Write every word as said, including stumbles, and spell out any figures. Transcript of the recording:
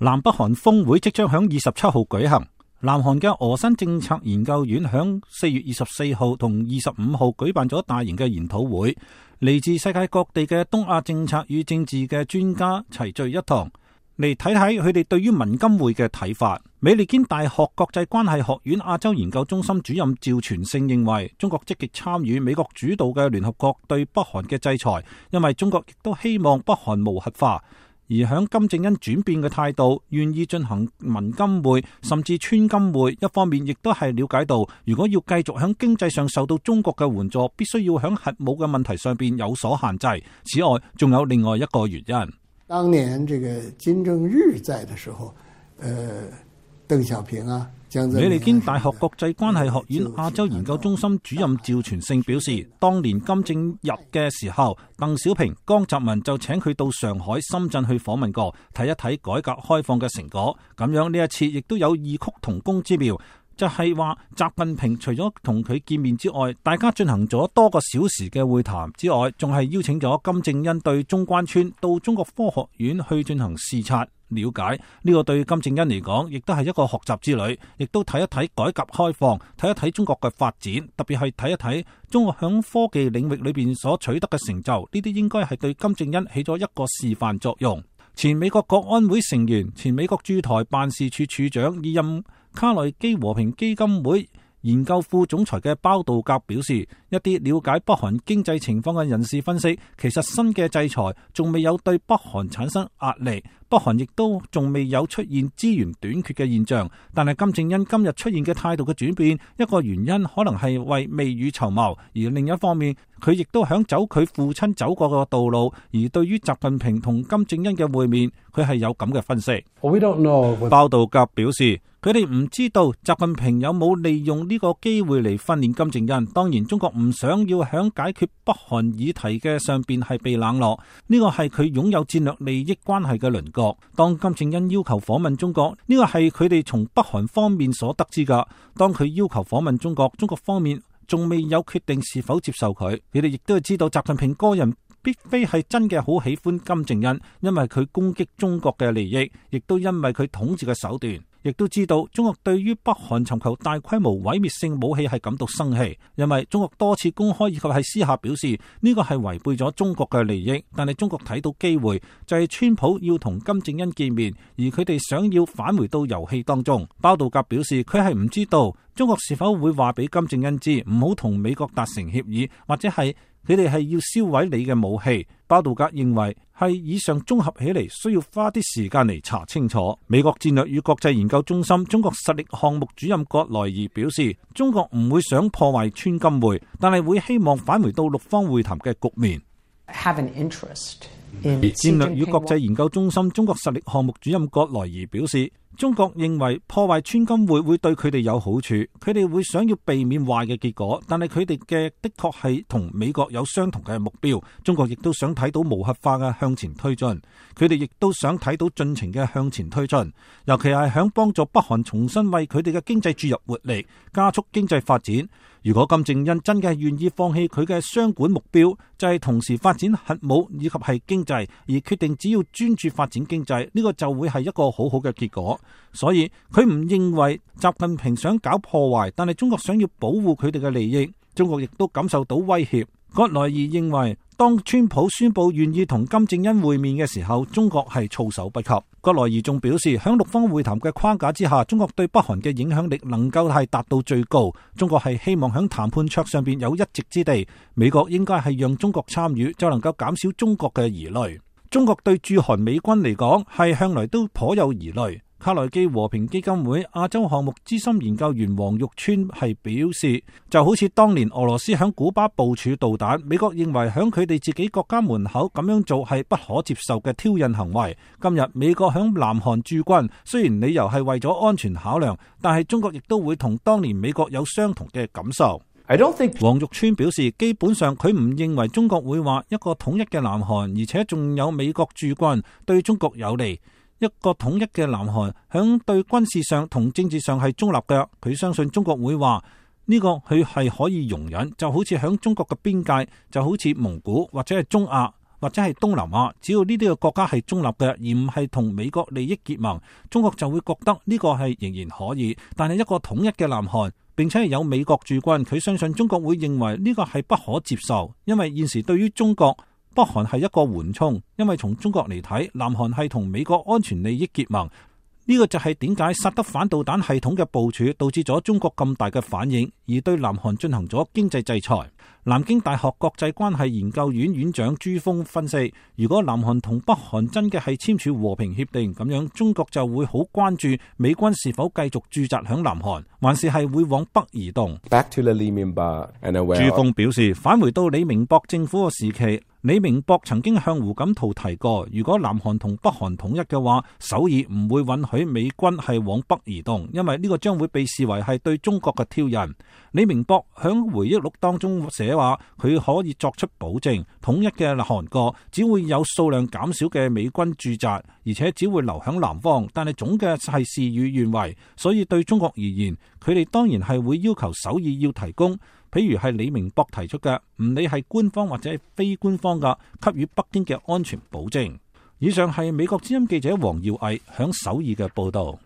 南北韓峰會即將響二十七號舉行。南韓嘅俄新政策研究院響四月二十四號同二十五號舉辦咗大型嘅研討會，嚟自世界各地嘅東亞政策與政治嘅專家齊聚一堂，嚟睇睇佢哋對於文金會嘅睇法。美利堅大學國際關係學院亞洲研究中心主任趙全勝認為，中國積極參與美國主導嘅聯合國對北韓嘅制裁，因為中國亦都希望北韓無核化。而響金正恩轉變嘅態度，願意進行文金會甚至川金會，一方面亦都係了解到，如果要繼續響經濟上受到中國嘅援助，必須要響核武嘅問題上邊有所限制。此外，仲有另外一個原因。當年這個金正日在的時候，呃，鄧小平啊，美利堅大學國際關係學院亞洲研究中心主任趙全勝表示，當年金正日嘅時候，鄧小平、江澤民就請佢到上海、深圳去訪問過，睇一睇改革開放嘅成果。咁樣呢一次亦都有異曲同工之妙，就係話習近平除咗同佢見面之外，大家進行咗多個小時嘅會談之外，仲係邀請咗金正恩對中關村到中國科學院去進行視察。了解呢個對金正恩嚟講，亦都係一個學習之旅，亦都睇一睇改革開放，睇一睇中國嘅發展，特別係睇一睇中國響科技領域裏邊所取得嘅成就，呢啲應該係對金正恩起咗一個示範作用。前美國國安會成員、前美國駐台辦事處處長、現任卡內基和平基金會研究副總裁嘅包道格表示，一啲了解北韓經濟情況嘅人士分析，其實新嘅制裁仲未有對北韓產生壓力，北韓亦都仲未有出現資源短缺嘅現象。但係金正恩今日出現嘅態度嘅轉變，一個原因可能係為未雨�綢�謀，而另一方面佢亦都想走佢父親走過嘅道路。而對於習近平同金正恩嘅會面，佢係有咁嘅分析。We don't know. 包道格表示，佢哋唔知道習近平有冇利用呢個機會嚟訓練金正恩。當然，中國唔想要響解決北韓議題嘅上邊係被冷落，呢個係佢擁有戰略利益關係嘅鄰國。當金正恩要求訪問中國，呢個係佢哋從北韓方面所得知噶。當佢要求訪問中國，中國方面仲未有決定是否接受佢。佢哋亦都係知道習近平個人必非係真嘅好喜歡金正恩，因為佢攻擊中國嘅利益，亦都因為佢統治嘅手段。亦都知道中國對於北韓尋求大規模毀滅性武器係感到生氣，因為中國多次公開以及係私下表示呢個係違背咗中國嘅利益。但係中國睇到機會，就係川普要同金正恩見面，而佢哋想要返回到遊戲當中。包道格表示佢係唔知道中國是否會話俾金正恩知唔好同美國達成協議，或者係佢哋係要銷毀你嘅武器。包道格認為係以上綜合起嚟，需要花啲時間嚟查清楚。美國戰略與國際研究中心中國實力項目主任葛萊儀表示，中國唔會想破壞川金會，但係會希望返回到六方會談嘅局面。Have an interest in 戰略與國際研究中心中國實力項目主任葛萊儀表示，中國認為破壞川金會會對佢哋有好處，佢哋會想要避免壞嘅結果，但係佢哋嘅的確係同美國有相同嘅目標。中國亦都想睇到無核化嘅向前推進，佢哋亦都想睇到進程嘅向前推進，尤其係響幫助北韓重新為佢哋嘅經濟注入活力，加速經濟發展。如果金正恩真嘅願意放棄佢嘅雙管目標，就係同時發展核武以及係經濟，而決定只要專注發展經濟，呢個就會係一個好好嘅結果。所以佢唔認為習近平想搞破壞，但係中國想要保護佢哋嘅利益，中國亦都感受到威脅。葛萊儀認為，當川普宣布願意同金正恩會面嘅時候，中國係措手不及。葛萊儀仲表示，響六方會談嘅框架之下，中國對北韓嘅影響力能夠係達到最高。中國係希望響談判桌上邊有一席之地，美國應該係讓中國參與，就能夠減少中國嘅疑慮。中國對駐韓美軍嚟講係向來都頗有疑慮。卡內基和平基金會亞洲項目資深研究員黃玉川係表示，就好似當年俄羅斯響古巴部署導彈，美國認為響佢哋自己國家門口咁樣做係不可接受嘅挑釁行為。今日美國響南韓駐軍，雖然理由係為咗安全考量，但係中國亦都會同當年美國有相同嘅感受。I don't think 黃玉川表示，基本上佢唔認為中國會話一個統一嘅南韓，而且仲有美國駐軍對中國有利。一個統一嘅南韓響對軍事上同政治上係中立嘅，佢相信中國會話呢個佢係可以容忍，就好似響中國嘅邊界，就好似蒙古或者係中亞或者係東南亞，只要呢啲嘅國家係中立嘅，而唔係同美國利益結盟，中國就會覺得呢個係仍然可以。但係一個統一嘅南韓，並且係有美國駐軍，佢相信中國會認為呢個係不可接受，因為現時對於中國，北韓係一個緩衝，因為從中國嚟睇，南韓係同美國安全利益結盟。呢個就係點解薩德反導彈系統嘅部署導致咗中國咁大嘅反應，而對南韓進行咗經濟制裁。南京大學國際關係研究院院長朱鋒分析，如果南韓同北韓真嘅係簽署和平協定咁樣，中國就會好關注美軍是否繼續駐紮響南韓，還是係會往北移動。Back to the Lee Myung-bak and aware. 朱鋒表示，返回到李明博政府嘅時期，李明博曾經向胡錦濤提過，如果南韓同北韓統一嘅話，首爾唔會允許美軍係往北移動，因為呢個將會被視為係對中國嘅挑釁。李明博響回憶錄當中寫話，佢可以作出保證，統一嘅韓國只會有數量減少嘅美軍駐紮，而且只會留響南方，但係總嘅係事與願違。所以對中國而言，佢哋當然係會要求首爾要提供，譬如係李明博提出嘅，唔理係官方或者係非官方嘅，給予北京嘅安全保證。以上係美國之音記者黃耀毅響首爾嘅報道。